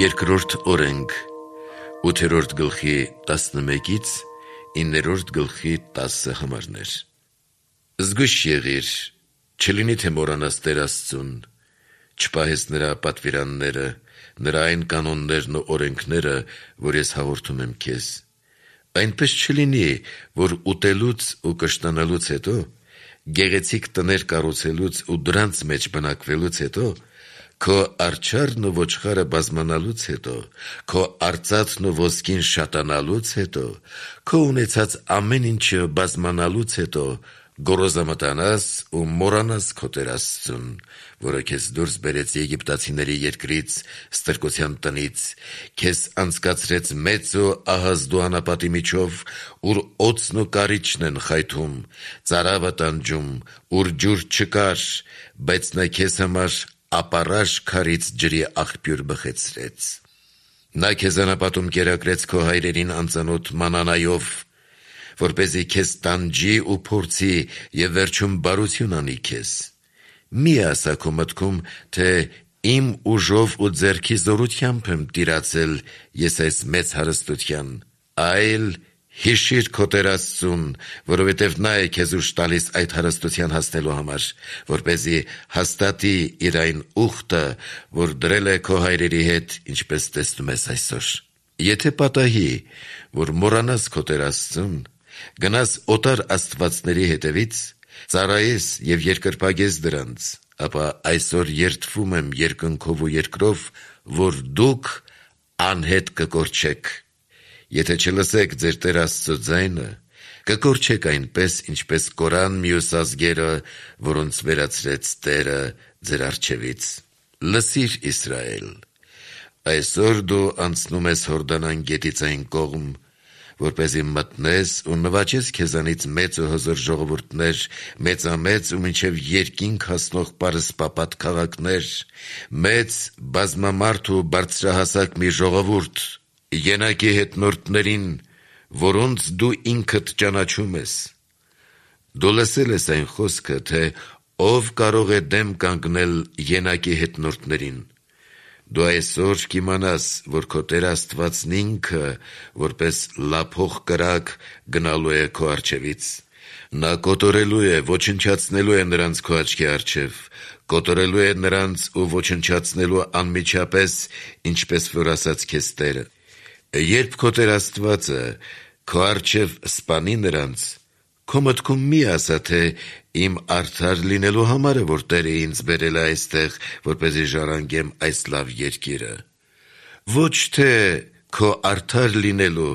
Երկրորդ օրենք, 8-րդ գլխի 11-ից 9-րդ գլխի 10 համարներ։ Զգույշ եղիր, չլինի թե մոռանաս Տեր Աստծուն, չպահես նրա պատվիրանները, նրա այն կանոններն ու օրենքները, որ ես հաղորդում եմ քեզ։ Այնպես չլինի, որ ուտելուց ու կշտանալուց հետո, գեղեցիկ տներ կառուցելուց ու դրանց մեջ բնակվելուց հետո, քո արջառն ու ոչխարը բազմանալուց հետո, քո արծաթն ու ոսկին շատանալուց հետո, քո ունեցած ամեն ինչը բազմանալուց հետո, գոռոզամտանաս ու մոռանաս քո Տեր Աստծուն, որը քեզ դուրս բերեց Եգիպտացիների երկրից, ստրկության տնից, քեզ անցկացրեց մեծ ու ահազդու անապատի միջով, ուր օձն ու կարիճն են խայթում, ծարավը տանջում, ուր ջուր չկար, բայց նա քեզ համար ապառաշ քարից ջրի աղբյուր բխեցրեց։ Նա քեզ անապատում կերակրեց քո հայրերին անծանոթ մանանայով, որպեսզի քեզ տանջի ու փորձի և վերջում բարություն անի քեզ։ Մի ասա քո մտքում, թե իմ ուժով ու ձեռքի զորությամբ եմ տիրացել ես այս մեծ հարստության, այլ հիշիր քո Տեր Աստծուն, որովհետև նա է քեզ ուժ տալիս այդ հարստության հասնելու համար, որպեսզի հաստատի իր այն ուխտը, որ դրել է քո հայրերի հետ, ինչպես տեսնում ես այսօր։ Եթե պատահի, որ մոռանաս քո Տեր Աստծուն, գնաս օտար աստվածների հետևից, ծառայես և երկրպագես դրանց, ապա այսօր երդվում եմ երկնքով ու երկրով, որ դուք անհետ կկորչեք։ Եթե չլսեք ձեր Տեր Աստծո ձայնը, կկորչեք այնպես, ինչպես կորան մյուս ազգերը, որոնց վերացրեց Տերը ձեր առջևից։ Լսիր, Իսրայել, այսօր դու անցնում ես Հորդանան գետից այն կողմ, որպեսզի մտնես ու նվաճես քեզանից մեծ ու հզոր ժողովուրդներ, մեծամեծ ու մինչև երկինք հասնող պարսպապատ քաղաքներ, մեծ բազմամարդ ու բարձրահասակ մի ժողովուրդ, ենակի հետնորդներին, որոնց դու ինքդ ճանաչում ես։ Դու լսել ես այն խոսքը, թե ով կարող է դեմ կանգնել ենակի հետնորդներին։ Դու այսօր կիմանաս, որ քո Տեր Աստվածն ինքը, որպես լափող կրակ, գնալու է քո առջևից։ Նա կոտորելու է, ոչնչացնելու է նրանց քո աչքի առջև, կոտորելու է նրանց ու ոչնչացնելու անմիջապես, ինչպես որ ասաց քեզ Տերը։ Երբ քո Տեր Աստվածը քո առջև սպանի նրանց, քո մտքում մի ասա, թե իմ արդար լինելու համար է, որ Տերը ինձ բերել է այստեղ, որպեսզի ժառանգեմ այս լավ երկիրը։ Ոչ թե քո արդար լինելու,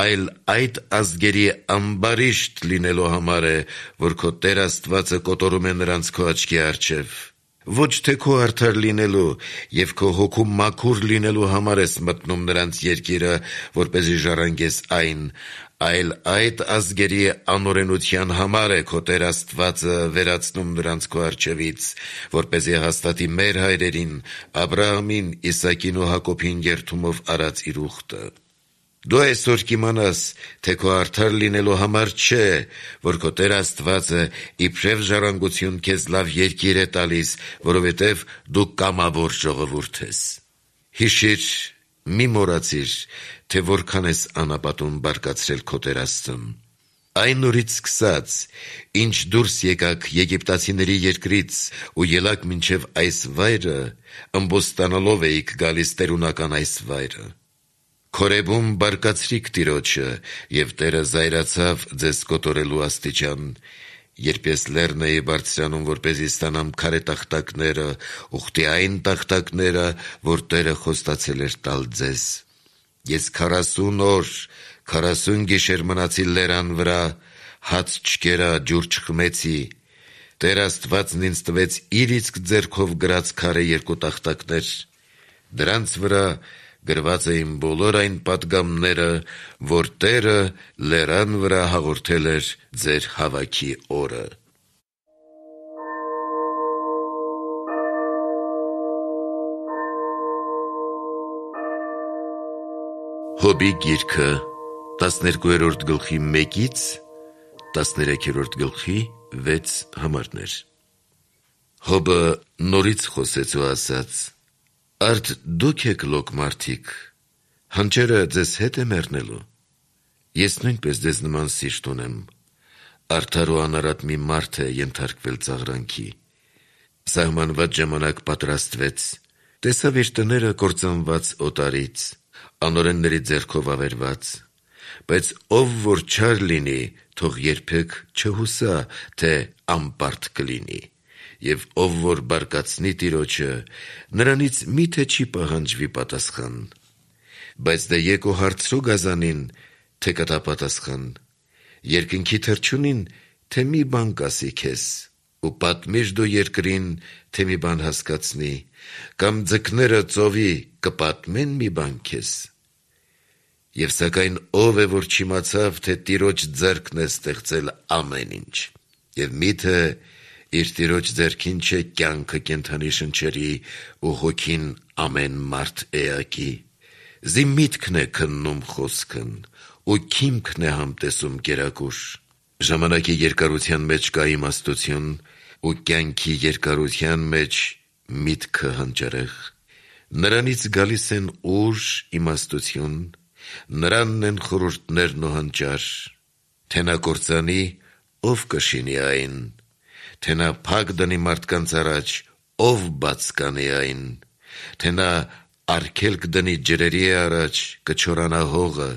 այլ այդ ազգերի ամբարիշտ լինելու համար է, որ քո Տեր Աստվածը կոտորում է նրանց քո աչքի առջև։ Ոչ թե քո արդար լինելու և քո հոգու մաքուր լինելու համար ես մտնում նրանց երկիրը, որպեսզի ժառանգես այն, այլ այդ ազգերի անօրենության համար է քո Տեր Աստվածը վերացնում նրանց քո առջևից, որպեսզի հաստատի մեր հայրերին, Աբրահամին, Իսակին ու Հակոբին երդումով արած իր ուխտը։ Դու այսօր կիմանաս, թե քո արդար լինելու համար չէ, որ քո Տեր Աստվածը իբրև ժառանգություն քեզ լավ երկիր է տալիս, որովհետև դու կամավոր ժողովուրդ ես։ Հիշիր, մի մոռացիր, թե որքան ես անապատում բարկացրել քո Տեր Աստծուն։ Այն օրից սկսած, ինչ դուրս եկաք Եգիպտացիների երկրից ու ելաք մինչև այս վայրը, ըմբոստանալով էիք գալիս տերունական այս վայրը։ Քորեբում բարկացրիք Տիրոջը, և Տերը զայրացավ ձեզ կոտորելու աստիճան, երբ ես լեռն էի բարձրանում, որպեսզի ստանամ քարե տախտակները, ուխտի այն տախտակները, որ Տերը խոստացել էր տալ ձեզ։ Ես 40 օր, 40 գիշեր մնացի լեռան վրա, հաց չկերա, ջուր չխմեցի։ Տեր Աստվածն ինձ տվեց իր իսկ ձեռքով գրած քարե 2 տախտակներ։ Դրանց վրա գրված էին բոլոր այն պատգամները, որ Տերը լեռան վրա հաղորդել էր ձեր հավաքի օրը։ Հոբի գիրքը 12-րդ գլխի 1-ից 13-րդ գլխի 6 համարներ։ Հոբը նորից խոսեց ու ասաց. Արդ դուք եք լոկ մարդիկ, հանճերը ձեզ հետ է մեռնելու։ Ես նույնպես ձեզ նման սիրտ ունեմ, արդար ու անարատ մի մարդ է ենթարկվել ծաղրանքի։ Սահմանված ժամանակ պատրաստվեց, տեսավ իր տները կործանված օտարից, անօրենների ձեռքով ավերված, բայց ով որ չար լինի, թող երբեք չհուսա, թե անպարտ կլինի, և ով որ բարկացնի Տիրոջը, նրանից միթե չի պահանջվի պատասխան։ Բայց դե եկո հարցրու գազանին, թե կտա պատասխան, երկնքի թռչունին, թե մի բան կասի քեզ, ու պատմիր դու երկրին, թե մի բան հասկացնի, կամ ձկները ծովի կպատմեն մի բան քեզ։ Եվ սակայն ով է, որ չիմացավ, թե Տիրոջ ձեռքն է ստեղծել ամեն ինչ, և միթե իր Տիրոջ ձեռքին չէ կյանքը կենդանի շնչերի ու հոգին ամեն մարդ էակի։ Զի միտքն է քննում խոսքն, ու քիմքն է համտեսում կերակուր։ Ժամանակի երկարության մեջ կա իմաստություն, ու կյանքի երկարության մեջ միտքը հանճարեղ։ Նրանից գալիս են ուժ, իմաստություն, նրանն են խորհուրդներն ու հանճար։ Թե նա կործանի, ով կշինի այն, թե նա փակ դնի մարդկանց առաջ, ով բաց կանի այն, թե նա արգելք դնի ջրերի առաջ, կչորանա հողը,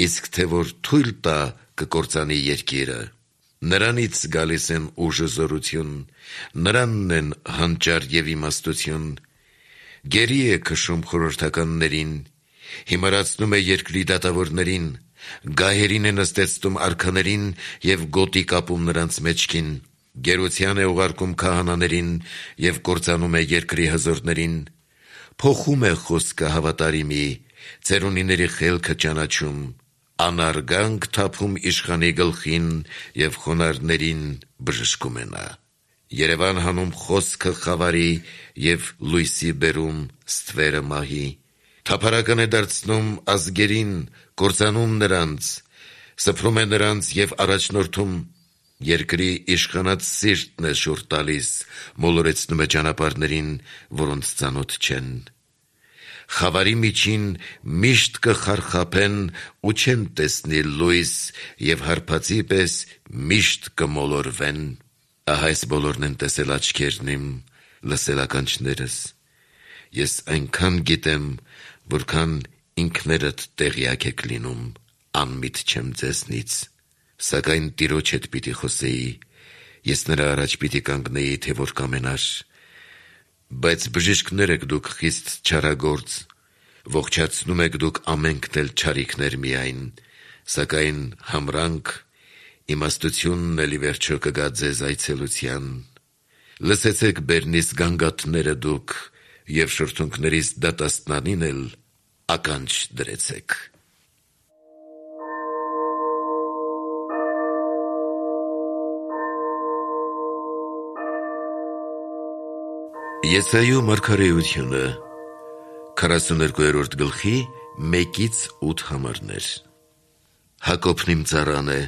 իսկ թե որ թույլ տա, կկործանի երկիրը։ Նրանից գալիս են ուժ ու զորություն, նրանն են հանճար և իմաստություն։ Գերի է քշում խորհրդականներին, հիմարացնում է երկրի դատավորներին, գահերին է նստեցնում արքաներին և գոտի կապում նրանց մեջքին, գերության է ուղարկում քահանաներին և կործանում է երկրի հզորներին, փոխում է խոսքը հավատարիմի, ծերունիների խելքը ճանաչում, անարգանք թափում իշխանի գլխին և խոնարհներին բժշկում է նա։ Երևան հանում խոսքը խավարի և լույսի բերում ստվերը մահի, թափառական է դարձնում ազգերին, կործանում նրանց, սփռում է նրանց և առաջնորդում, երկրի իշխանած սիրտն է շուռ տալիս, մոլորեցնում է ճանապարհներին, որոնց ծանոթ չեն։ Խավարի միջին միշտ կխարխափեն ու չեն տեսնի լույս և հարբածի պես միշտ կմոլորվեն։ Ահա այս բոլորն են տեսել աչքերն իմ, լսել ականջներս։ Ես այնքան գիտեմ, որքան ինքներդ տեղյակ եք լինում, անմիտ չեմ ձեզնից։ Սակայն Տիրոջ հետ պիտի խոսեի, ես նրա առաջ պիտի կանգնեի, թե որ կամենար։ Բայց բժիշկներ եք դուք խիստ չարագործ, ողջացնում եք դուք ամենքն էլ չարիքներ միայն, սակայն համրանք, իմաստությունն էլ ի վերջո կգա ձեզ այցելության։ Լսեցեք բերնիս գանգատները դուք, և շրթունքներիս դատաստանին էլ ականջ դրեցեք։ Եսայու մարգարեությունը 42-րդ գլխի 1-8 համարներ։ Հակոբն իմ ծառան է,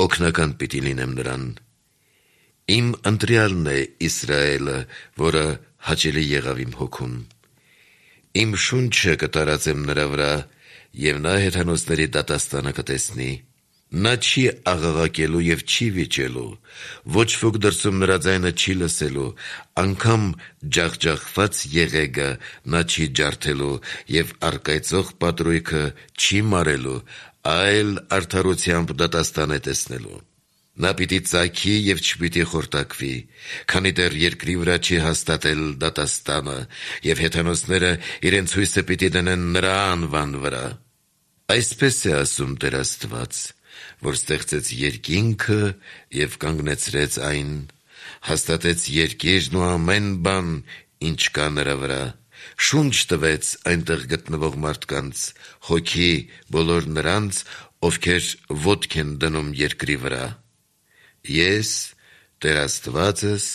օգնական պիտի լինեմ նրան։ Իմ ընտրյալն է Իսրայելը, որը հաճելի եղավ իմ հոգուն։ Իմ շունչը կտարածեմ նրա վրա, և նա հեթանոսների դատաստանը կտեսնի։ Նա չի աղաղակելու և չի վիճելու, ոչ ոք դրսում նրա ձայնը չի լսելու, անգամ ջախջախված եղեգը նա չի ջարդելու և առկայծող պատրույգը չի մարելու, այլ արդարությամբ դատաստան է տեսնելու։ Նա պիտի ծագի և չպիտի խորտակվի, քանի դեռ երկրի վրա չի հաստատել դատաստանը, և հեթանոսները իրենց հույսը պիտի դնեն նրա անվան վրա։ Այսպես է ասում Տեր Աստված, որ ստեղծեց երկինքը և կանգնեցրեց այն, հաստատեց երկիրն ու ամեն բան, ինչ կա նրա վրա, շունչ տվեց այնտեղ գտնվող մարդկանց, հոգի բոլոր նրանց, ովքեր ոտք են դնում երկրի վրա։ Ես, Տեր Աստվածս,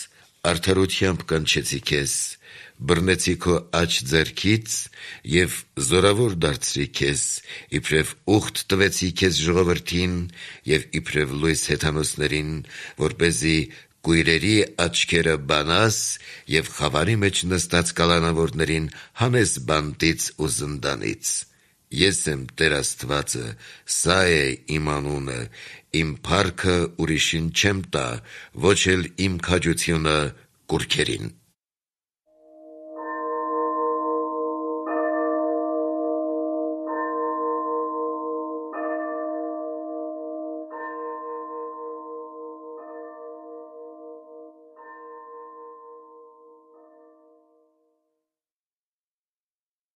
արդարությամբ կանչեցի քեզ, բռնեցի քո աջ ձեռքից և զորավոր դարձրի քեզ, իբրև ուխտ տվեցի քեզ ժողովրդին և իբրև լույս հեթանոսներին, որպեսզի կույրերի աչքերը բանաս և խավարի մեջ նստած կալանավորներին հանես բանտից ու զնդանից։ Ես եմ Տեր Աստվածը, սա է իմ անունը, իմ փառքը ուրիշին չեմ տա, ոչ էլ իմ քաջությունը կուռքերին»։